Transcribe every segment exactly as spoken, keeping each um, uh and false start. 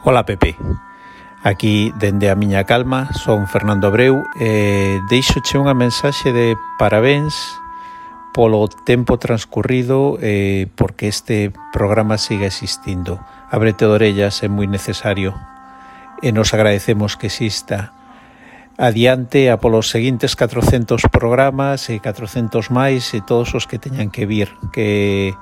Ola Pepe, aquí dende a miña calma, son Fernando Abreu e deixoche unha mensaxe de parabéns polo tempo transcurrido e porque este programa siga existindo. Ábrete de orellas é moi necesario e nos agradecemos que exista. Adiante a polos seguintes catrocentos programas e catrocentos máis e todos os que teñan que vir, que,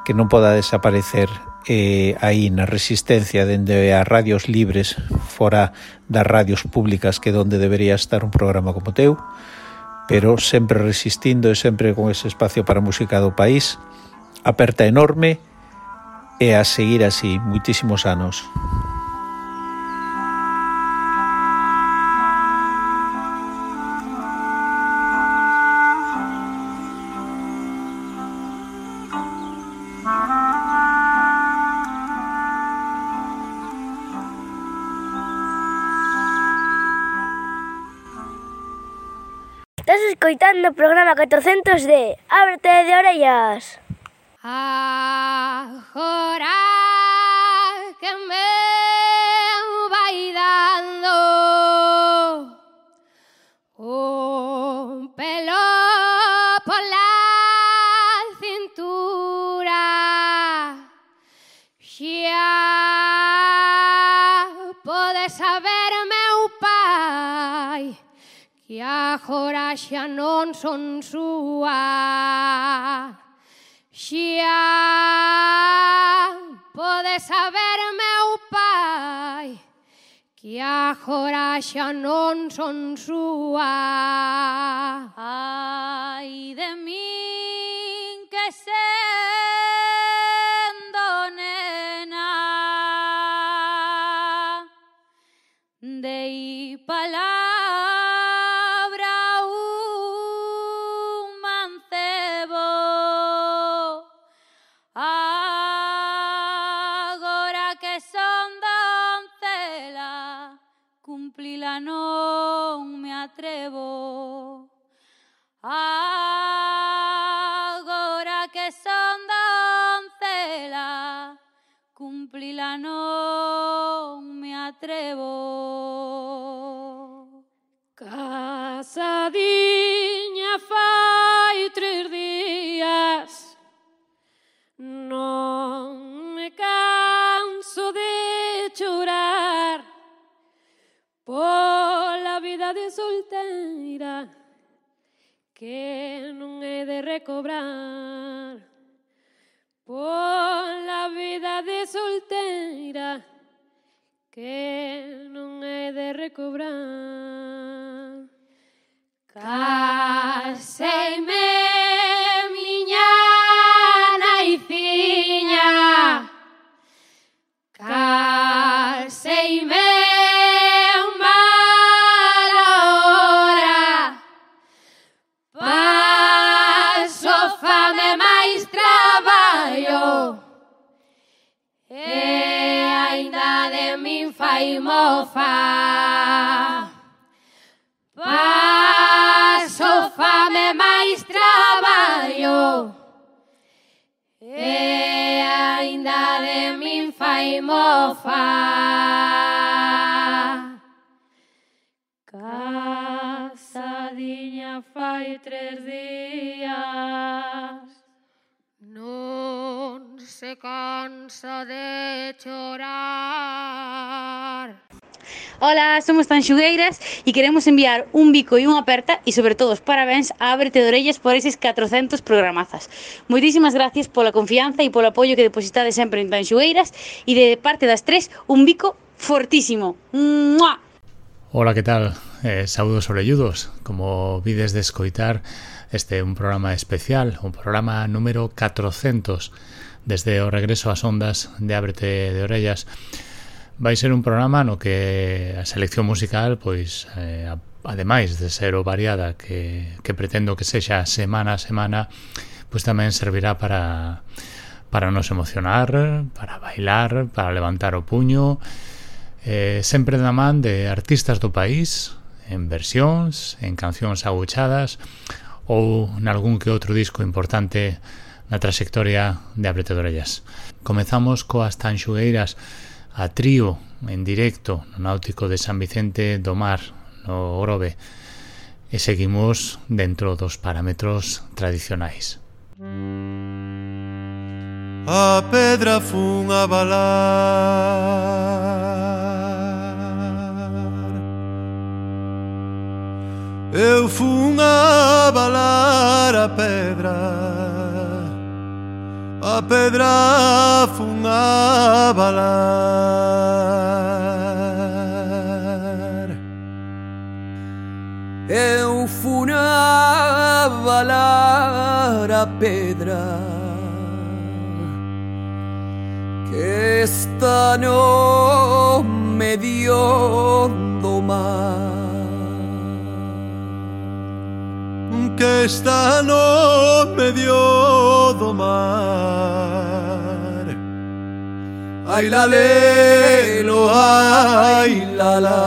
que non poda desaparecer eh, aí na resistencia dende as radios libres fora das radios públicas, que é onde debería estar un programa como teu, pero sempre resistindo e sempre con ese espacio para a música do país. Aperta enorme e a seguir así moitísimos anos. Estás escoitando o programa catrocentos de Ábrete de orellas. Agora que me vai dando un pelo pola cintura, xa podes saber, meu pai, que agora xa non son súa. Xa podes saber, meu pai, que agora xa non son súa. Ai de min que sendo nena dei palabra non me atrevo. Agora que son doncela, cumplila non me atrevo. Casadiña fai tres días, non me canso de chorar pola vida de solteira que non é de recobrar, pola vida de solteira que non é de recobrar. Caseime, miña naiciña, caseime fai mofa. Paso fame máis traballo e aínda de min fai mofa. Casadiña fai tres días, non se cansa de chorar. Hola, somos Tanxugueiras e queremos enviar un bico e unha aperta e sobre todo os parabéns a Ábrete de orellas por eses catrocentos programazas. Moitísimas gracias pola confianza e polo apoio que depositades sempre en Tanxugueiras e de parte das tres un bico fortísimo. ¡Mua! Hola, que tal? Eh, saúdos orelludos. Como vides de escoitar, este é un programa especial, un programa número catrocentos desde o regreso ás ondas de Ábrete de orellas. Vai ser un programa no que a selección musical, pois, eh, ademais de ser o variada que, que pretendo que sexa semana a semana, pois tamén servirá para, para nos emocionar, para bailar, para levantar o puño, eh, sempre da man de artistas do país, en versións, en cancións aguchadas ou nalgún que outro disco importante na trayectoria de Ábrete de orellas. Comezamos coas Tanxugueiras a trío en directo no Náutico de San Vicente do Mar, no Grove, e seguimos dentro dos parámetros tradicionais. A pedra fun a balar, eu fun a balar a pedra, a pedra fun a balar. Eu fun a balar a pedra que está no medio do mar, que está no medio do mar. Ai la lelo, ai la la.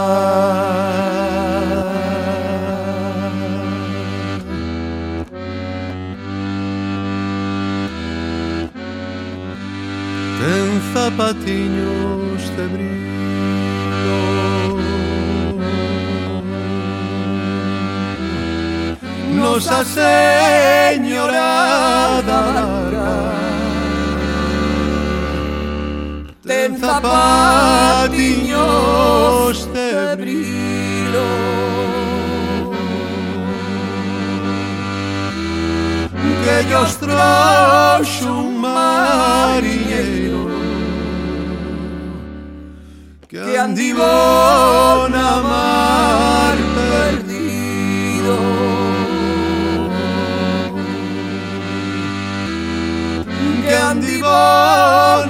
Ten zapatiños de brillo, Nosa Señora da Barca. Ten zapatiños de brillo, que ellos trouxo un mariñeiro que andivo na mar perdido, que andivo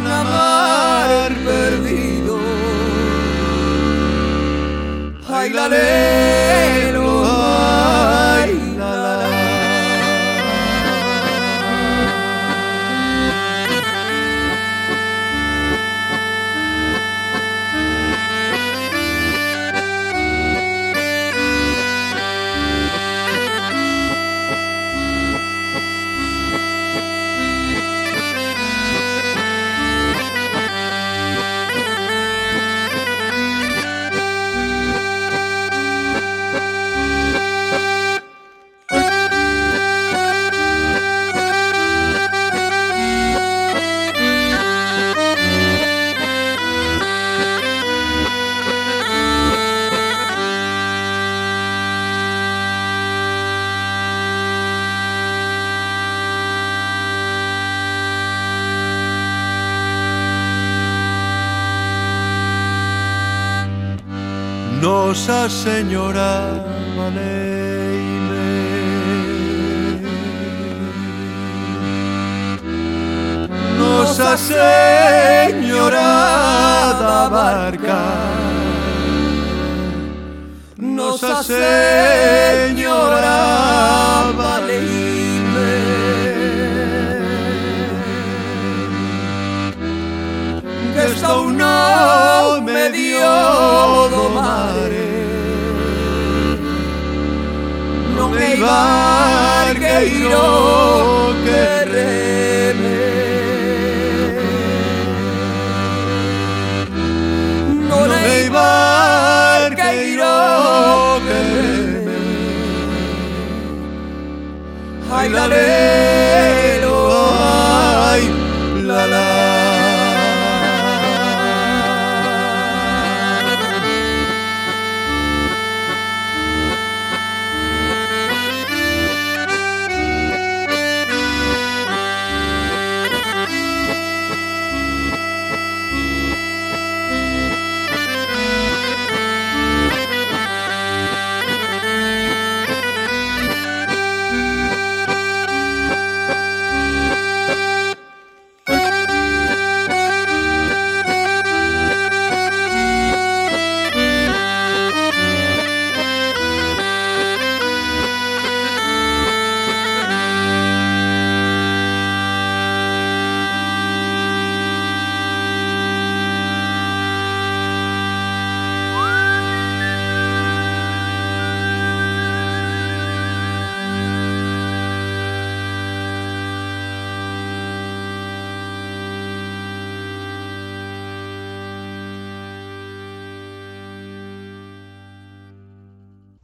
na mar perdido. Ai la lelo, ai la la. Nosa Señora valeime, Nosa Señora da Barca, Nosa Señora valeime, que estou no medio do mare, non hai barqueiro que reme, non hai barqueiro que reme. Ai la lelo, ai la la.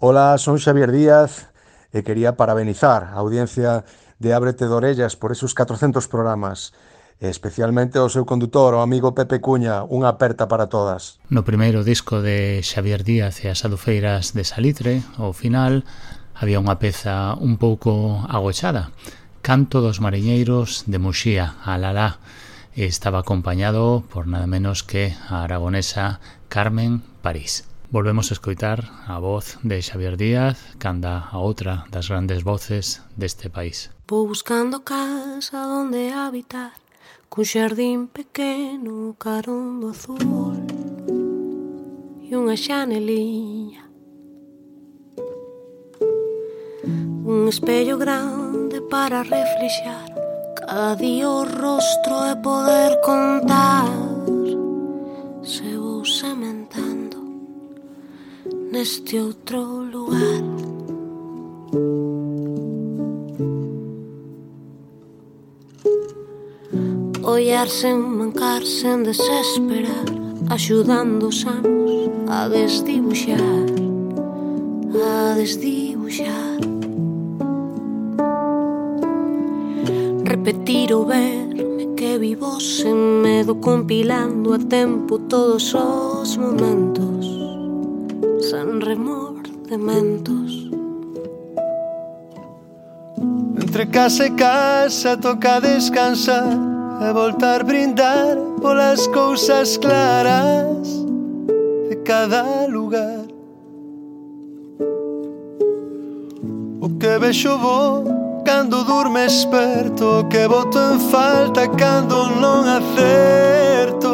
Ola, son Xavier Díaz e quería parabenizar a audiencia de Ábrete de Orellas por esos catrocentos programas, e especialmente ao seu condutor, o amigo Pepe Cuña, unha aperta para todas. No primeiro disco de Xavier Díaz e as Adufeiras de Salitre, ao final, había unha peza un pouco agochada, Canto dos Mariñeiros de Muxía, Alalá, e estaba acompañado por nada menos que a aragonesa Carmen París. Volvemos a escoitar a voz de Xavier Díaz, canda a outra das grandes voces deste país. Vou buscando casa onde habitar, cun xardín pequeno, carón do azul e unha xaneliña, un espello grande para reflexar cada día o rostro e poder contar se vou sementando neste outro lugar. Ollar sen mancar, sen desesperar, axudando os anos a desdibuxar, a desdibuxar. Repetir ou verme que vivo sen medo, compilando a tempo todos os momentos, sen remordementos. Entre casa e casa toca descansar e voltar brindar polas cousas claras de cada lugar. O que vexo bo cando durme esperto, o que boto en falta cando non acerto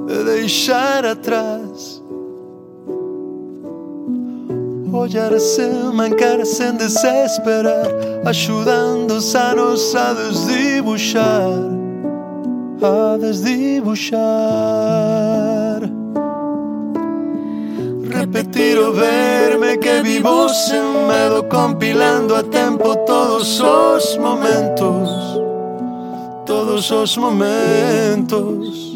de deixar atrás. Ollar sen mancar, sen desesperar, axudando os anos a desdibuxar, a desdibuxar. Repetir o verme que vivo sen medo, compilando a tempo todos os momentos, todos os momentos.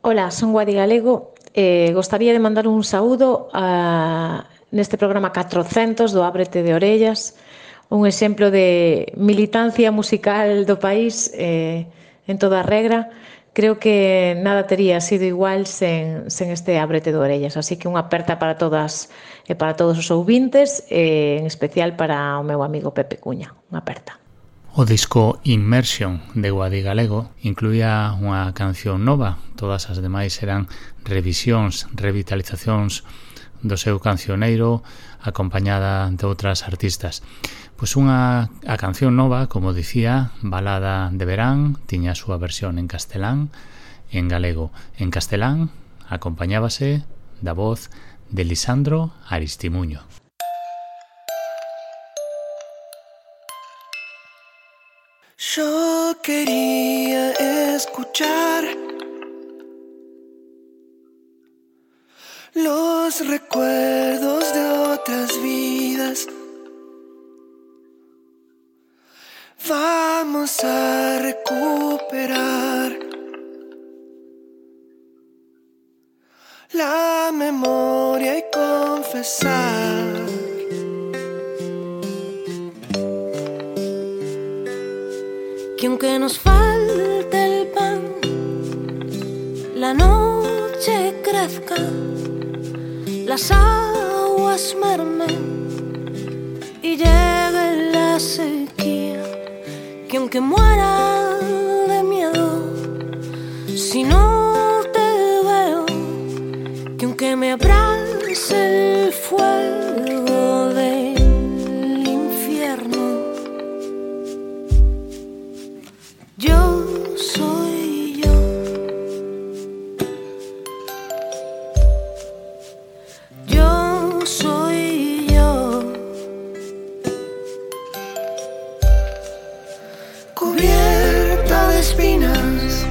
Ola, son Guadi Galego. Eh, gostaría de mandar un saúdo a, neste programa catrocentos do Ábrete de Orellas, un exemplo de militancia musical do país eh, en toda a regra. Creo que nada tería sido igual sen, sen este Ábrete de Orellas, así que unha aperta para todas e para todos os ouvintes, e en especial para o meu amigo Pepe Cuña. Unha aperta. O disco Immersion de Guadi Galego incluía unha canción nova, todas as demais eran revisións, revitalizacións do seu cancioneiro acompañada de outras artistas. Pois unha a canción nova, como dicía, Balada de Verán, tiña a súa versión en castelán e en galego. En castelán acompañábase da voz de Lisandro Aristimuño. Yo quería escuchar los recuerdos de otras vidas. Vamos a recuperar la memoria y confesar que aunque nos falte crezca, las aguas mermen y llegue la sequía, que aunque muera de miedo, si no te veo, que aunque me abrace el fuego del infierno, yo soy yo. Yo soy yo. Cubierta de espinas,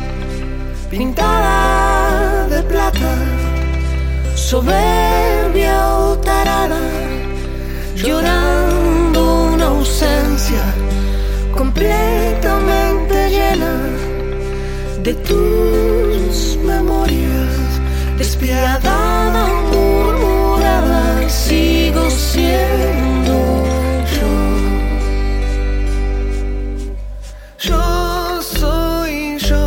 pintada de plata, soberbia o tarada, llorando una ausencia completamente llena de tus memorias, despiadada, murmurada, sigo siendo yo. Yo soy yo.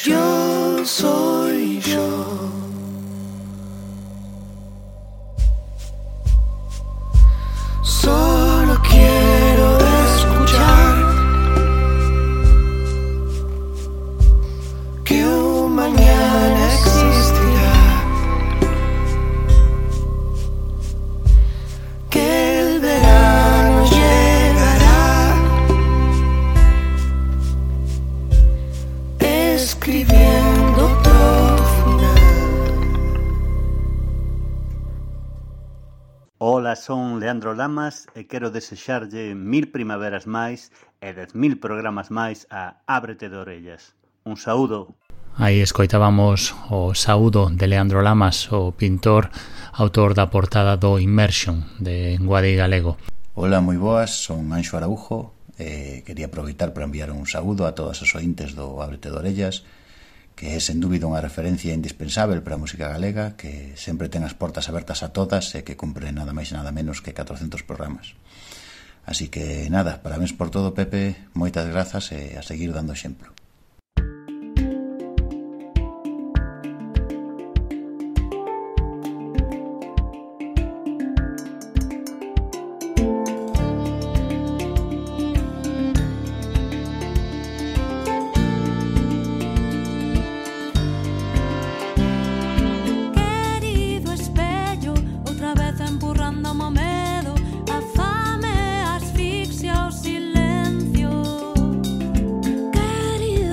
Yo soy yo. Solo quiero escuchar que un mañana existirá, que el verano llegará, escribiendo otro final. Ola, son Leandro Lamas e quero desexarlle mil primaveras máis e dez mil programas máis a Ábrete de Orellas. Un saúdo. Aí escoitábamos o saúdo de Leandro Lamas, o pintor, autor da portada do Immersion de Guadi Galego. Ola, moi boas, son Anxo Araujo e quería aproveitar para enviar un saúdo a todas as ointes do Ábrete de Orellas, que é sen dúbida unha referencia indispensável para a música galega, que sempre ten as portas abertas a todas e que cumpre nada máis e nada menos que catrocentos programas. Así que nada, parabéns por todo, Pepe, moitas grazas e a seguir dando exemplo. Querido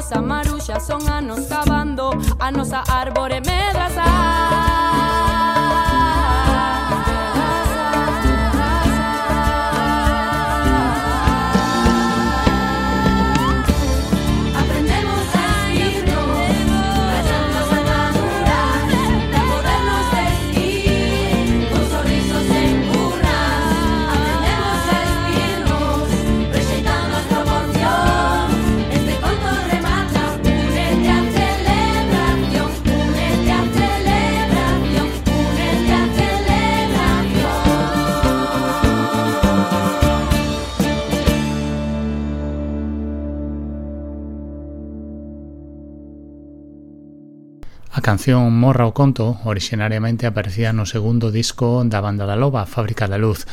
nosa maruxa son anos cavando a nosa árbore medrazar. A canción Morra o Conto orixinariamente aparecía no segundo disco da Banda da Loba, Fábrica da Luz,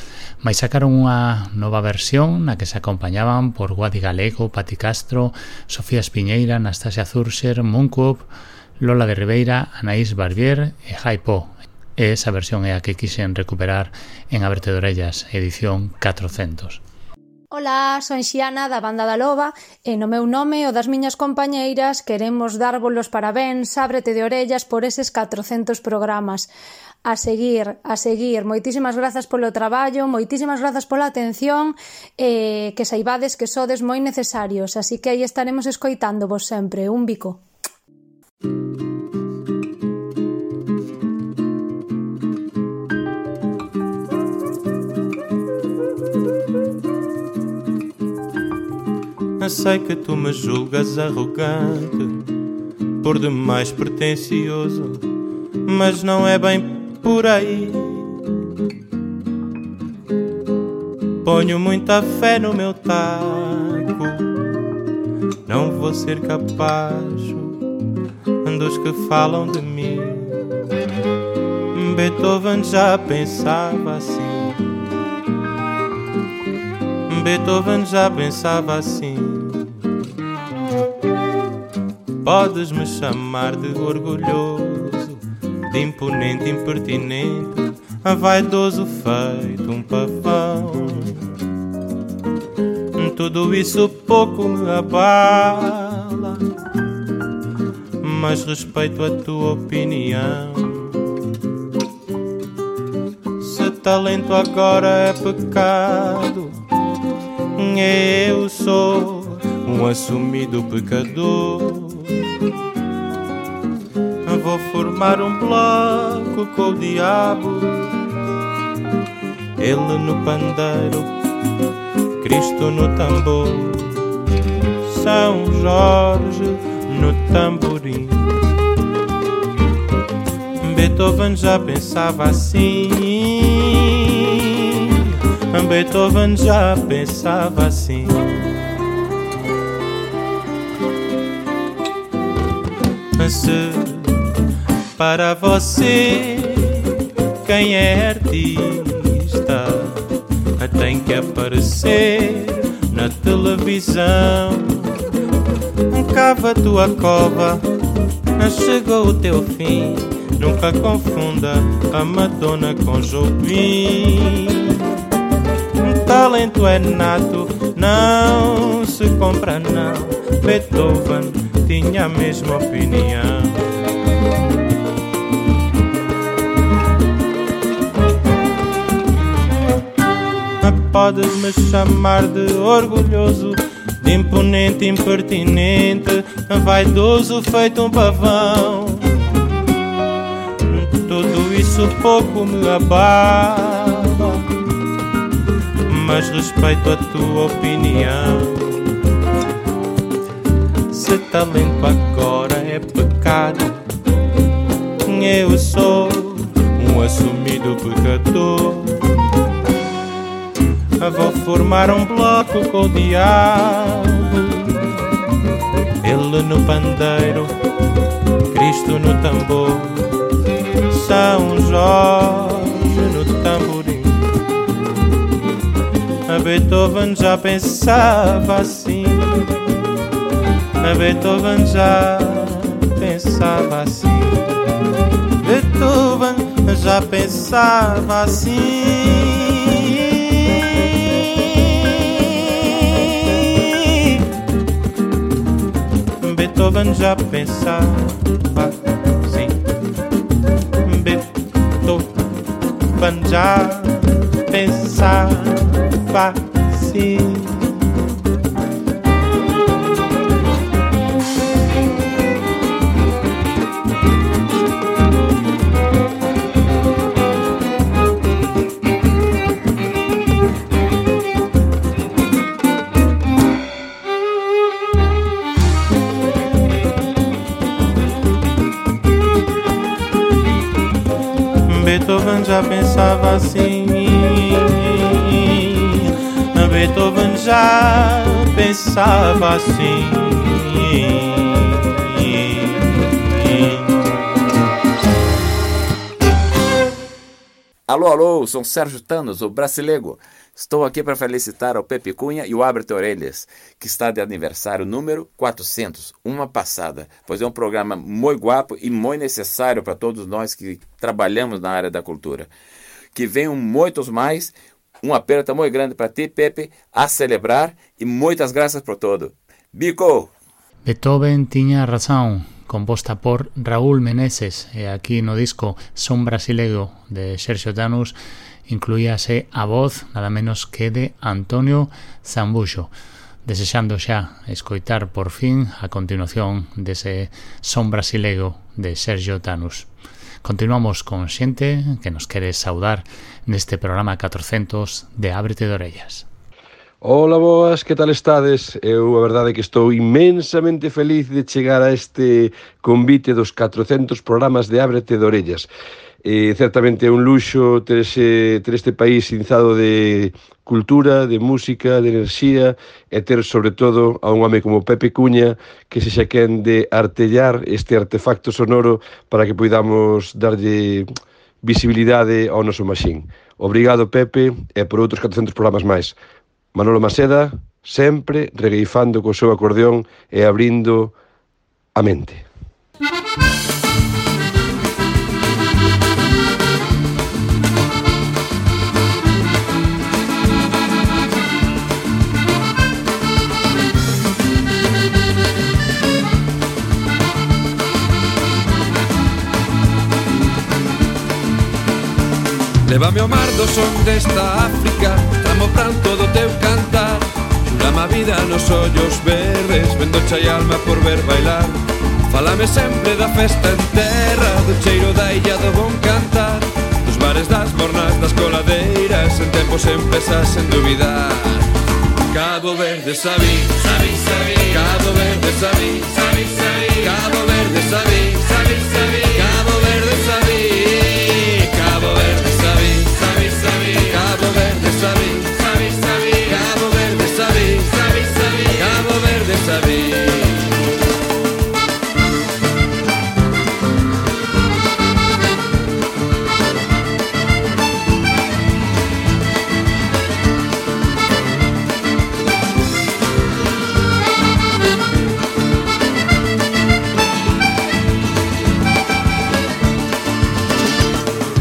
mais sacaron unha nova versión na que se acompañaban por Guadi Galego, Pati Castro, Sofía Espiñeira, Anastasia Zurcher, Munkup, Lola de Ribeira, Anaís Barbier e Jaipo. E esa versión é a que quixen recuperar en Ábrete de Orellas, edición catrocentos. Ola, son Xiana da Banda da Loba e no meu nome o das miñas compañeiras queremos darvos parabéns, ábrete de orellas por eses catrocentos programas. A seguir, a seguir, moitísimas grazas polo traballo, moitísimas grazas pola atención e que saibades que sodes moi necesarios, así que aí estaremos escoitándovos sempre. Un bico. Sei que tu me julgas arrogante, por demais pretencioso, mas não é bem por aí. Ponho muita fé no meu taco, não vou ser capaz dos que falam de mim. Beethoven já pensava assim. Beethoven já pensava assim. Podes me chamar de orgulhoso, de imponente, impertinente, vaidoso feito um pavão. Tudo isso pouco me abala, mas respeito a tua opinião. Se talento agora é pecado, eu sou um assumido pecador. Vou formar um bloco com o diabo, ele no pandeiro, Cristo no tambor, São Jorge no tamborim. Beethoven já pensava assim. Beethoven já pensava assim. Se para você quem é artista tem que aparecer na televisão, cava a tua cova, chegou o teu fim. Nunca confunda a Madonna com Jobim. Talento é nato, não se compra não. Beethoven tinha a mesma opinião. Podes me chamar de orgulhoso, de imponente, impertinente, vaidoso feito um pavão. Tudo isso pouco me abala, mas respeito a tua opinião. Se talento agora é pecado, eu sou um assumido pecador. Vou formar um bloco com o diabo, ele no pandeiro, Cristo no tambor, São Jorge no tamborim. A Beethoven já pensava assim. A Beethoven já pensava assim. Beethoven já pensava assim. Beethoven já pensava assim. Beethoven já pensava assim. Beethoven já pensava assim. Beethoven já pensava assim. Alô, alô, sou Sérgio Tanos, o Brasileiro. Estou aqui para felicitar ao Pepe Cunha e o Abre-te Orelhas, que está de aniversário número quatrocentos, uma passada, pois é um programa muito guapo e muito necessário para todos nós que trabalhamos na área da cultura. Que venham muitos mais, um aperto muito grande para ti, Pepe, a celebrar e muitas graças por todo. Bico! Beethoven tiña razón, composta por Raúl Meneses, e aquí no disco Son Brasileiro de Sergio Tanús incluíase a voz nada menos que de Antonio Zambuxo, desexando xa escoitar por fin a continuación dese Son Brasileiro de Sergio Tanús. Continuamos con xente que nos quere saudar neste programa catrocentos de Ábrete de Orellas. Ola, boas, que tal estades? Eu a verdade é que estou inmensamente feliz de chegar a este convite dos catrocentos programas de Ábrete de Orellas. E certamente é un luxo ter, ese, ter este país inzado de cultura, de música, de enerxía e ter sobre todo a un home como Pepe Cunha que se xa quen de artellar este artefacto sonoro para que poidamos darlle visibilidade ao noso maxín. Obrigado, Pepe, e por outros catrocentos programas máis. Manolo Maseda, sempre regueifando co seu acordeón e abrindo a mente. Lévame ao mar do son desta África, tramo pranto do teu cantar. Xurame a vida nos ollos verdes, vendo chai alma por ver bailar. Fálame sempre da festa en terra, do cheiro da illa do bon cantar, dos bares das mornas, das coladeiras, en tempos empresas sen dubidar. Cabo Verde sabí, sabí, sabí, Cabo Verde sabí, sabí, sabí, Cabo Verde sabí, sabí, sabí, Cabo Verde sabí, Cabo Verde sabí, sabí, sabí, Cabo Verde sabí, sabí, sabí, Cabo Verde sabí, sabí, sabí, Cabo Verde sabí.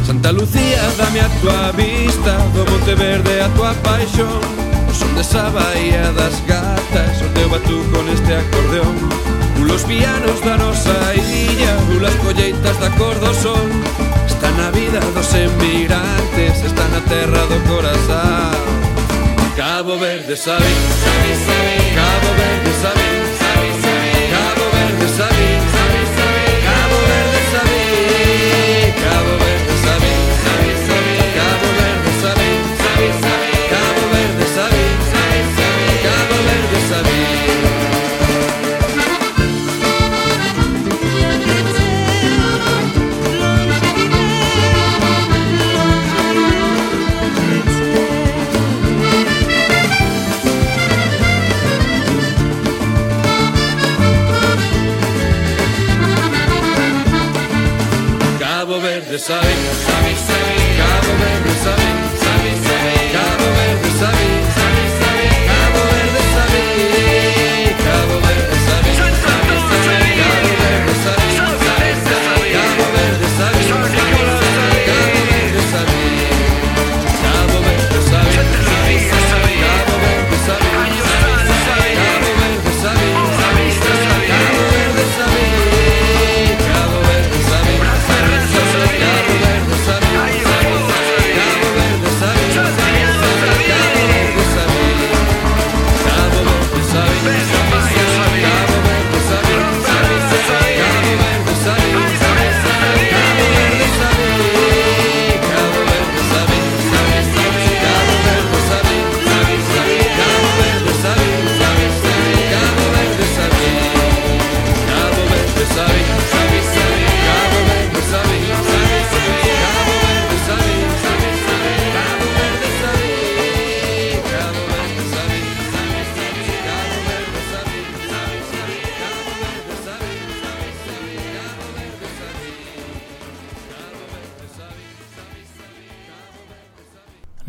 Santa Lucía, dame a tua vista, do Monte Verde a tua paixón, o son desa bahía das gatas, o teu batuco neste acordeón, ulos pianos da nosa illa, ulas colleitas da cor do sol, está na vida dos emigrantes, está na terra do corazón. Cabo Verde sabí, sabí, sabí, Cabo Verde sabí, sabí, sabí, Cabo Verde sabí, sabí, sabí, Cabo Verde sabí, Cabo Verde sabí, sabí, sabí, Cabo Verde sabí, sabí, sabí, Cabo Verde sabí, sabí, sabí, Cabo Verde sabí.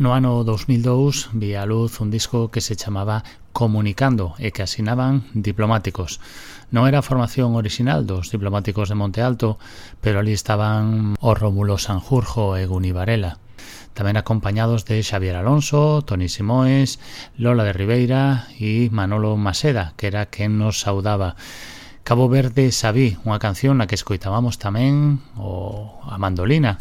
No ano dous mil dous vía a luz un disco que se chamaba Comunicando e que asinaban Diplomáticos. Non era a formación orixinal dos Diplomáticos de Monte Alto, pero ali estaban o Rómulo Sanjurjo e Guni Varela. Tamén acompañados de Xavier Alonso, Toni Simoes, Lola de Ribeira e Manolo Maseda, que era quen nos saudaba. Cabo Verde Sabí, unha canción na que escoitábamos tamén o a mandolina,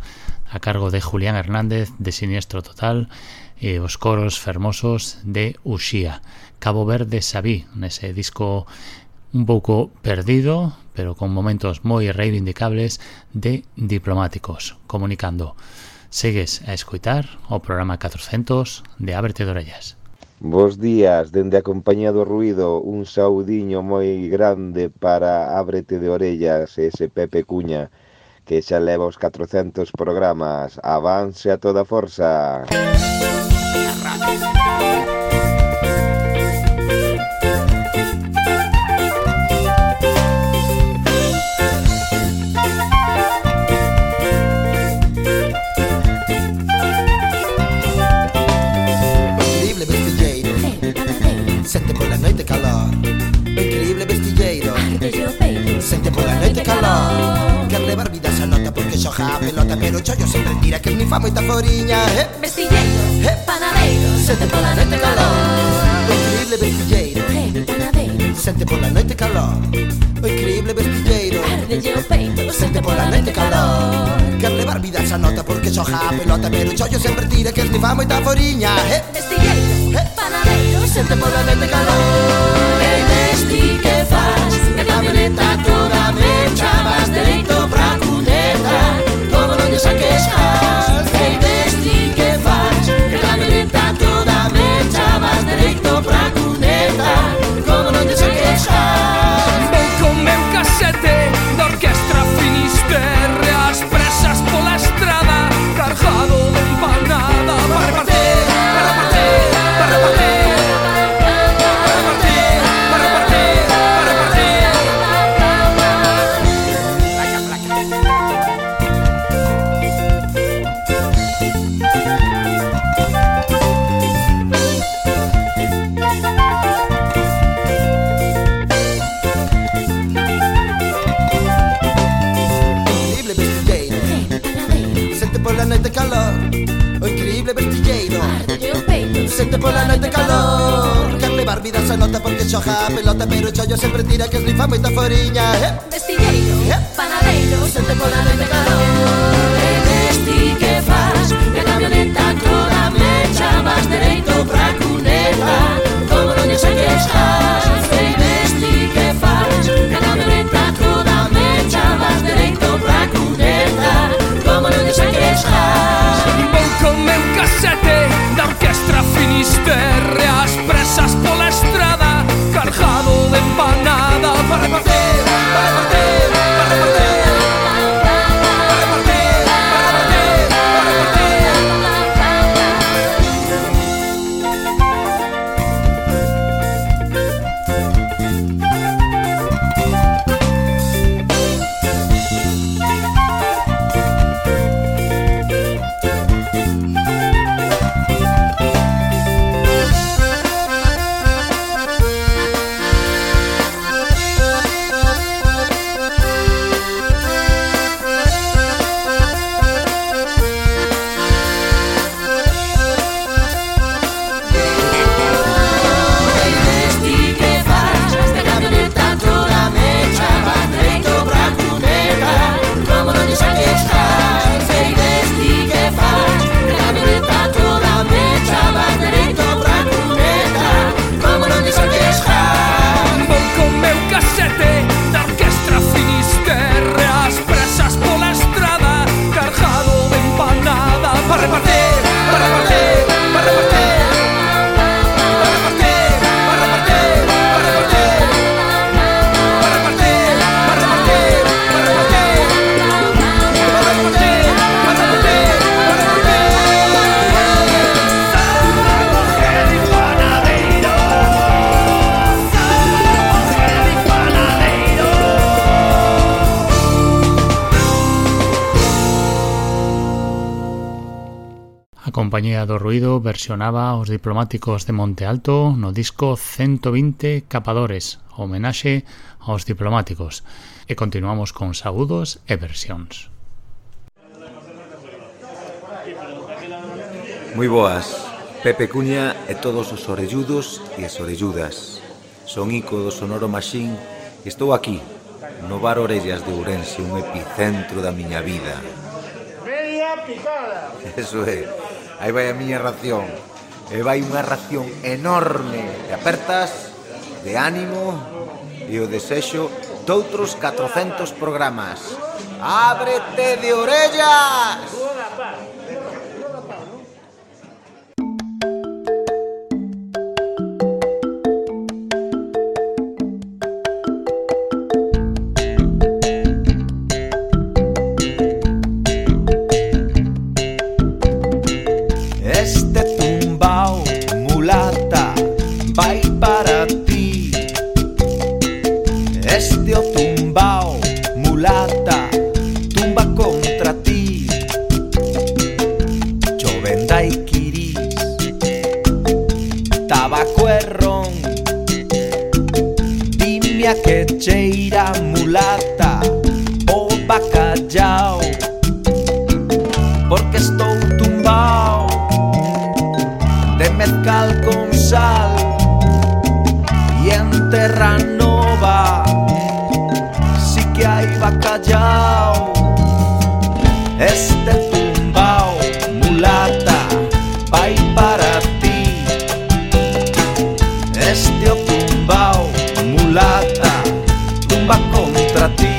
a cargo de Julián Hernández de Siniestro Total e os coros fermosos de Uxía. Cabo Verde Sabí, nese disco un pouco perdido, pero con momentos moi reivindicables de Diplomáticos, Comunicando. Segues a escoitar o programa catrocentos de Ábrete de Orellas. Bos días, dende a compañía do ruido, un saudiño moi grande para Ábrete de Orellas, ese Pepe Cuña, que xa leva os catrocentos programas. Avance a toda forza. Sente pola noite calor, o increíble vestilleiro. Sente pola noite calor, quer levar vida esa nota porque xoja a pelota, pero chollo sempre tira que ni fa moita foriña. Eh? Vestilleiro, eh? Panadeiro. Sente pola noite calor, o increíble vestilleiro. Hey, panadeiro. Sente pola noite calor, o increíble vestilleiro. Ardelle o peito. Sente pola noite calor, quer levar vida esa nota porque xoja a pelota, pero chollo sempre tira que ni fa moita foriña. Eh? Vestilleiro, eh? Panadeiro. Sente pola noite calor, e vesti que faz, que camioneta toda mecha, vas dereito pra cuneta, como non lle saques gas. E vesti que faz, que camioneta toda mecha, vas dereito pra cuneta, como non lle saques gas. Vou con meu casete da orquestra Finisterre, as presas pola estrada, cargado de empanada, para repartir, para repartir, para repartir. Pola noite calor, o increíble vestilleiro. Sente pola noite calor, quer levar vida esa nota porque xoja a pelota, pero chollo sempre tira que esnifa moita foriña. Eh? Vestilleiro, eh? Panadeiro. Sente pola noite calor, e vesti que faz, que a camioneta toda mecha, vas dereito pra cuneta, como non lle saques gas. E vesti que faz, que a camioneta toda mecha, vas dereito pra cuneta, como non lle saques gas. Vou con meu casete da orquestra Finisterre, as presas pola estrada, cargado de empanada, para repartir, para repartir, para repartir, para repartir. Compañía do Ruido versionaba os Diplomáticos de Monte Alto no disco ciento vinte Capadores, homenaxe aos diplomáticos. E continuamos con saúdos e versións. Moi boas, Pepe Cuña e todos os orelludos e as orelludas. Son Ico do Sonoro Machín e estou aquí, no bar Orellas de Ourense, un epicentro da miña vida. Media picada. Eso é, aí vai a miña ración. E vai unha ración enorme de apertas, de ánimo e o desexo doutros catrocentos programas. Ábrete de orellas! Este tumbao, mulata, vai para ti. Este o tumbao, mulata, tumba contra ti. Choven daiquiris, tabaco e ron. Dime a que cheira, mulata, o bacallao. Porque estou tumbao de mezcal con sal y en terra nova sí que hai bacallao. Este tumbao, mulata, vai para ti. Este o tumbao, mulata, tumba contra ti.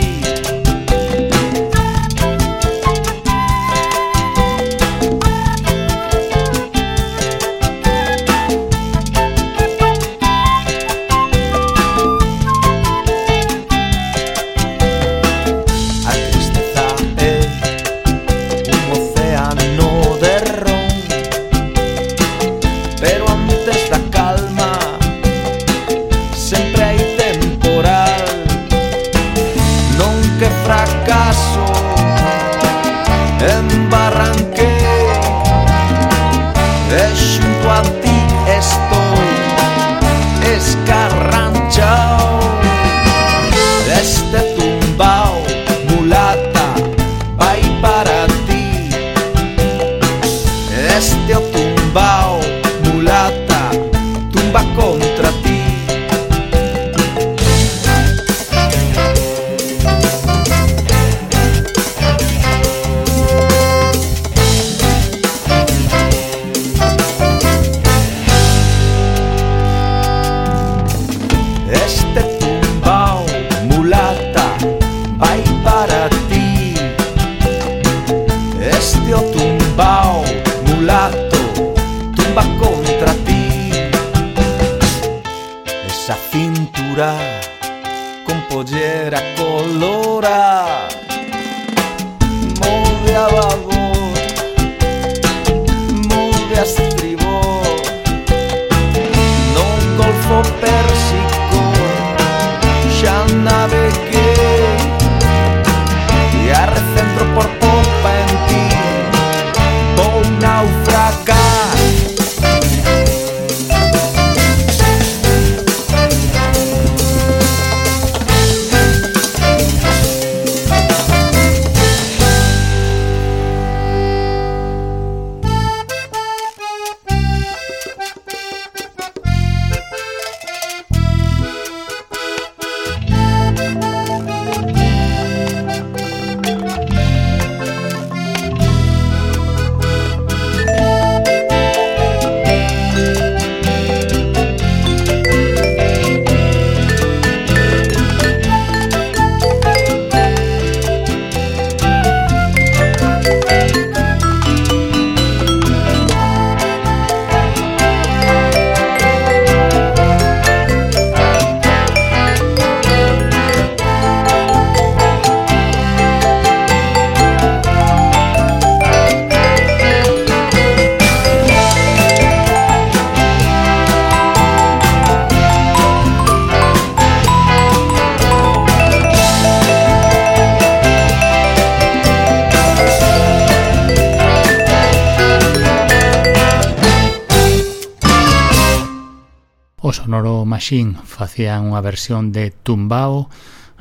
o Sonoro Machine facían unha versión de Tumbao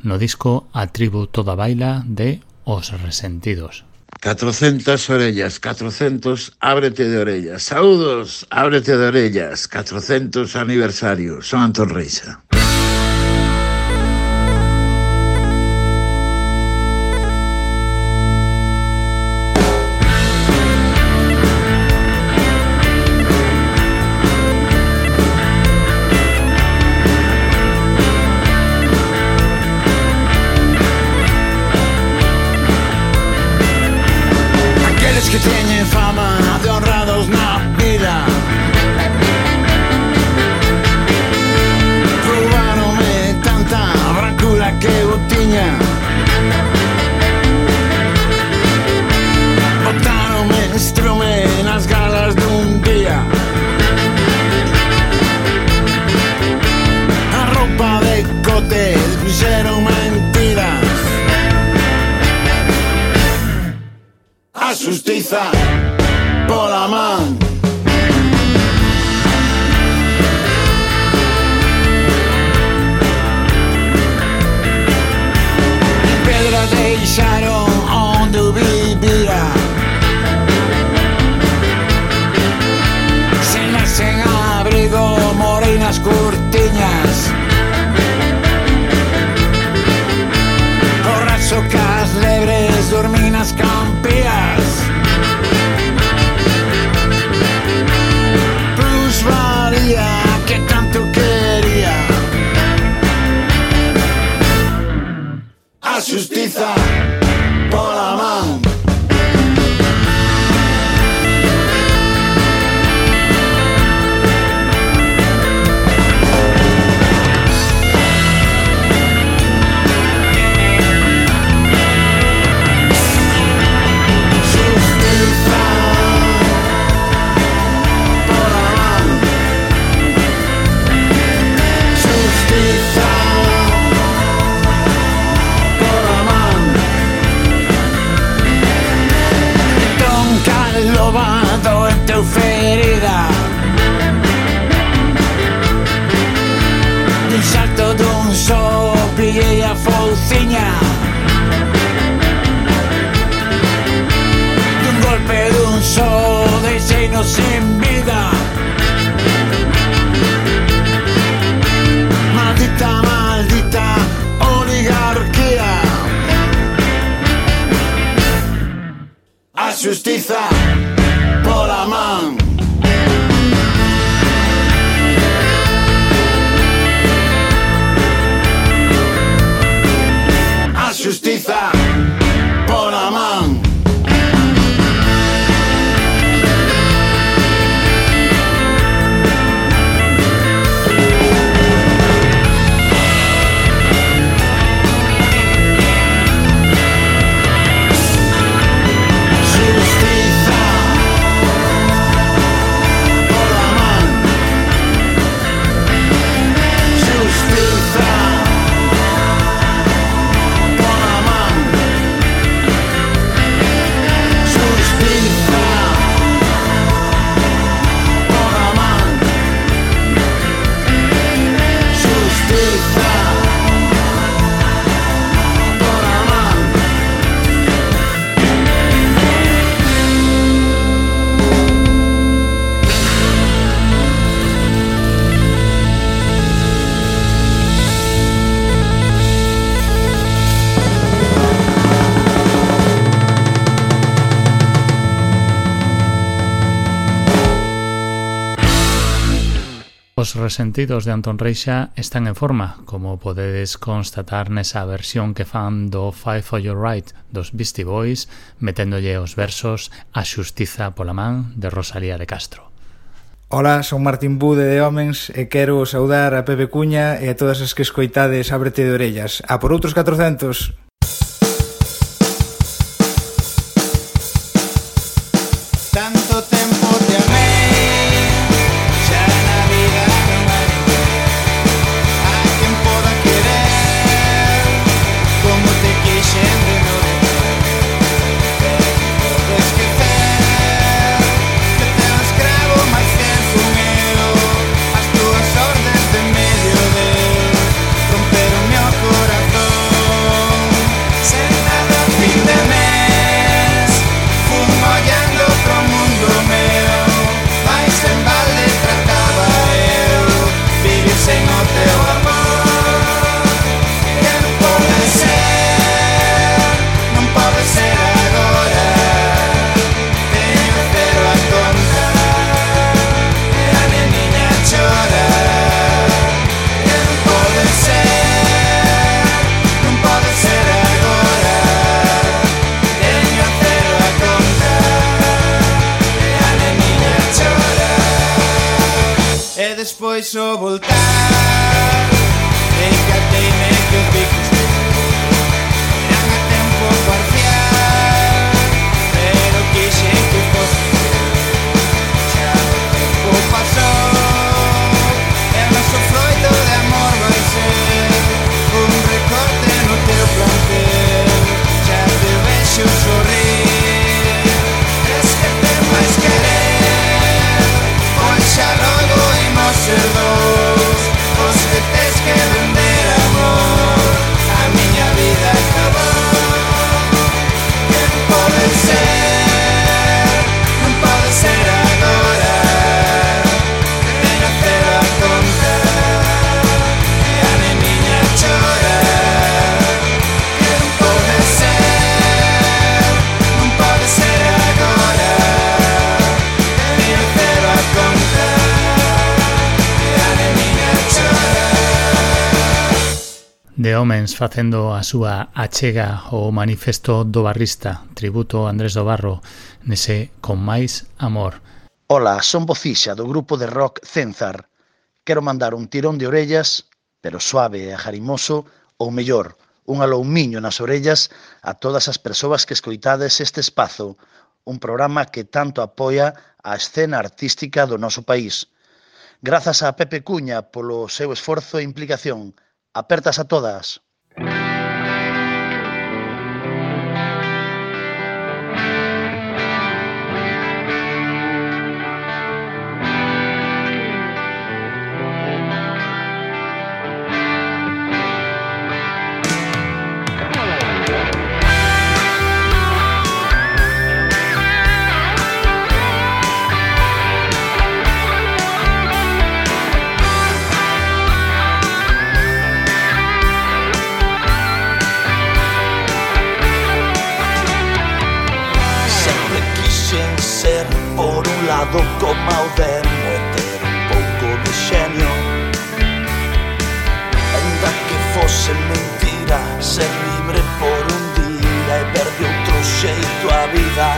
no disco A Tribu Toda Baila de Os Resentidos. catrocentas orellas, catrocentos, ábrete de orellas. Saúdos, ábrete de orellas, catrocentos aniversario. Son Antón Reixa. Que teñen fama de honrados na vida, roubaronme tanta brancura que eu tiña, botaronme estrume nas galas dun día, a roupa de cote fixeron mentiras. A xustiza pola man. Pedras deixaron onde eu vivía, cenas sen abrigo, morei nas cortiñas, borracho cas lebres, dormí nas campías. Plusvalía que tanto quería, a xustiza pola man. Lobado en teu ferida, dun salto dun só pillei a fouciña, dun golpe dun só deixeinos sen vida. Maldita, maldita oligarquía, a xustiza pola man. A xustiza pola man. Os Resentidos de Antón Reixa están en forma, como podedes constatar nesa versión que fan do Fight for Your Right dos Beastie Boys, meténdolle os versos A xustiza pola man de Rosalía de Castro. Ola, son Martín Bude de Homens e quero saudar a Pepe Cuña e a todas as que escoitades Ábrete de orellas. A por outros catrocentos. Tanto tempo te amé, xa na vida non hai a quen poda querer como te quixen de novo. Podo esquecer que te escravo máis que fumero as túas ordes e despois o voltar. Encateime que os bicos eran a tempo parcial, pero quixen que fosse xa o tempo pasou, e o noso froito de amor vai ser un recorte no teu plantel. Xa te vexo sorrir, es que te máis querer, pois xa logo imos ser dous os que tes que vender amor. A miña vida acabou, que non pode ser, non pode ser agora, que teño cero a conta e a neniña chora. Que non pode ser, non pode ser agora, que teño cero a conta e a neniña chora. De Homens facendo a súa achega ao manifesto do barrista, tributo a Andrés do Barro nese Con Máis Amor. Ola, son Bocixa do grupo de rock Cenzar. Quero mandar un tirón de orellas, pero suave e ajarimoso, ou mellor, un aloumiño nas orellas a todas as persoas que escoitades este espazo, un programa que tanto apoia a escena artística do noso país. Grazas a Pepe Cuña polo seu esforzo e implicación. Apertas a todas. Como ao demo e ter un pouco de xenio, ainda que fose mentira, ser libre por un día e ver de outro xeito a vida.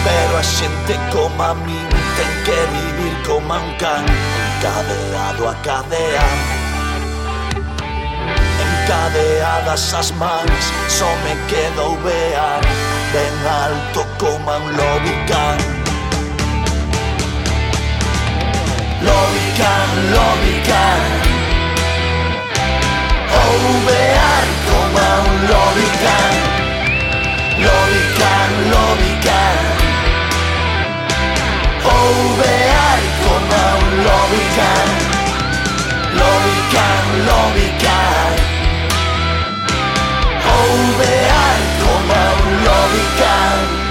Pero a xente como a min ten que vivir como a un can, encadeado a cadea, encadeadas as mans, só me quedo vear ben alto como a un lobican. Lobican, lobican, ou vear como a un lobican. Lobican, lobican, ou vear como a un lobican. Lobican, lobican, ou vear como a un lobican.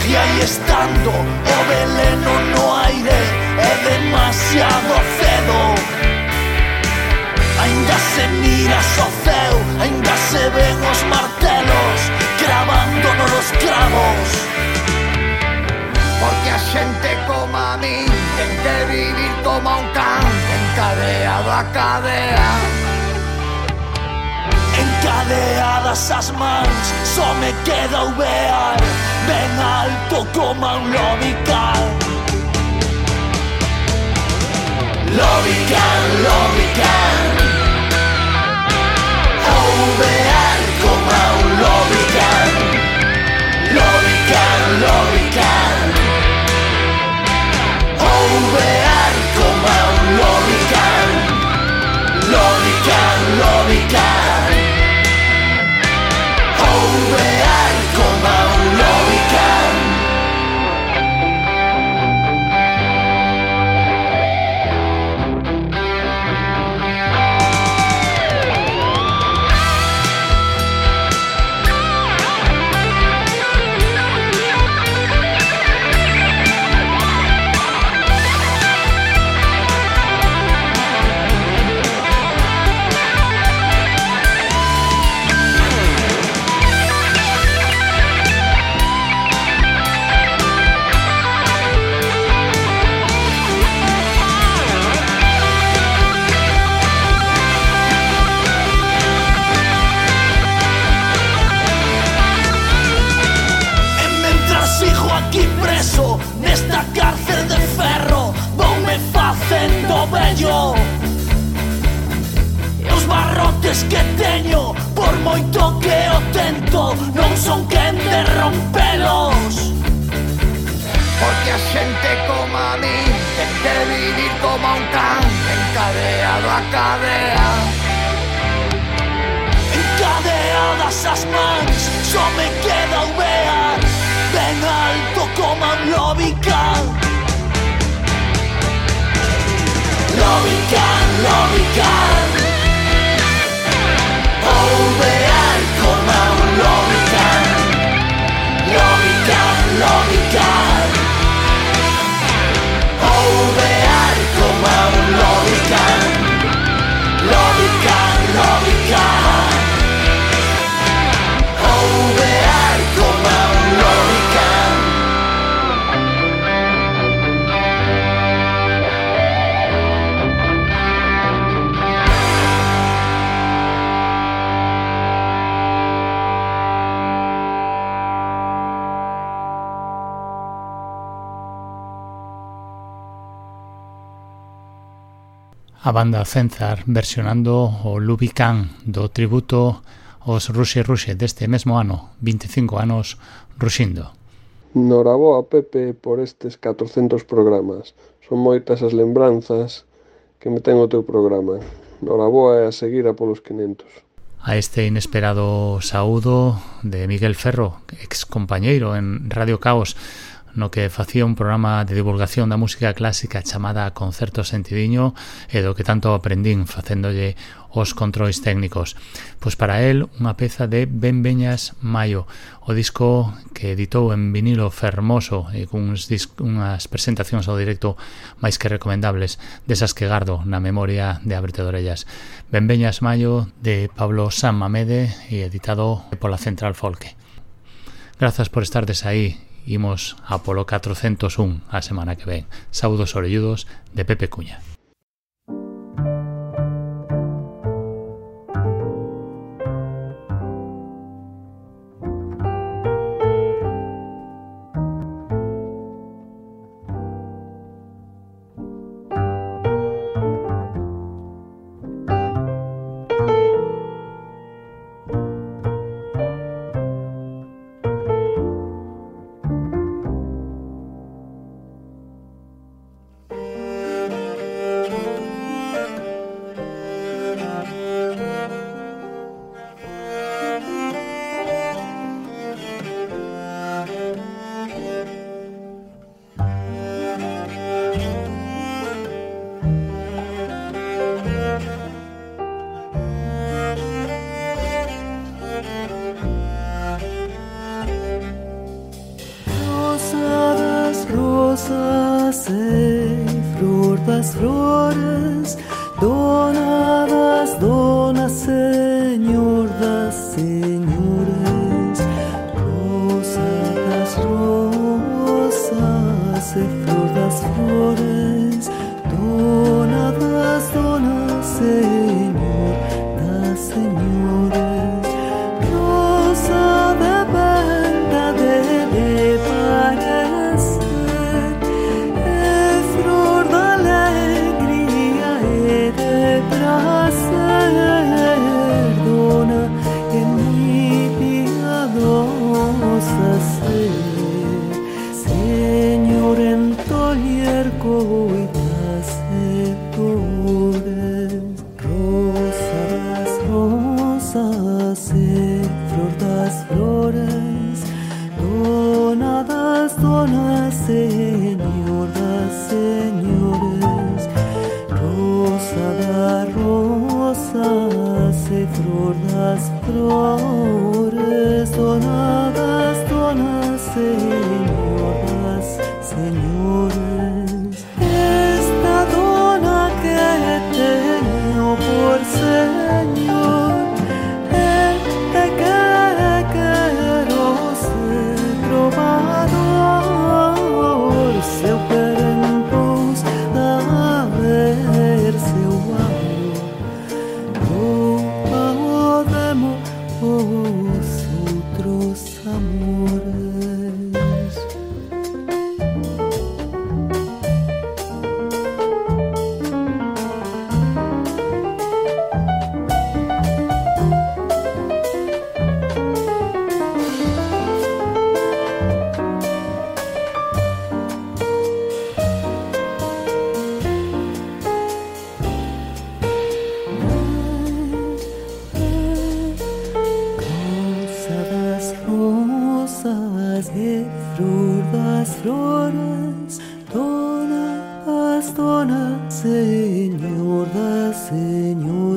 E aí estando o veleno no aire é demasiado cedo. Ainda se miras ao ceo, ainda se ven os martelos cravándonos os cravos. Porque a xente como a min ten que vivir como a un can, encadeado a cadea, encadeadas as mans, só me queda o vear ben alto como a un lobican. Lobican, lobican, ou vear como a un lobican. Lobican, lobican, ou vear como a un lobican. Lobican, lobican, ou vear como a un lobican. vello. E os barrotes que teño, por moito que o tento, non son quen de rompelos. Porque a xente como a min ten que vivir como un can encadeado a cadea. Encadeadas as mans, só me queda o vear ben alto como un lobican. Lobican, lobican, ou vear como un lobican. Lobican, lobican, ou vear como un lobican. Lobican, lobican, ou vear como un lobican. A banda Cenzar versionando o Lubican do tributo aos Ruxe Ruxe deste mesmo ano, veinticinco anos ruxindo. Noraboa, Pepe, por estes catrocentos programas. Son moitas as lembranzas que me ten o teu programa. Noraboa e a seguir a polos quinhentos. A este inesperado saúdo de Miguel Ferro, ex compañeiro en Radio Caos, no que facía un programa de divulgación da música clásica chamada Concerto Sentidiño e do que tanto aprendín facéndolle os controis técnicos. Pois para el, unha peza de Benveñas Maio, o disco que editou en vinilo fermoso e con uns unhas presentacións ao directo máis que recomendables, desas que gardo na memoria de Ábrete de Orellas. Benveñas Maio de Pablo San Mamede e editado pola Central Folke. Grazas por estardes aí. Imos a polo catrocentos un a semana que ven. Saúdos orelludos de Pepe Cuña. Outros amores. Señor da Señor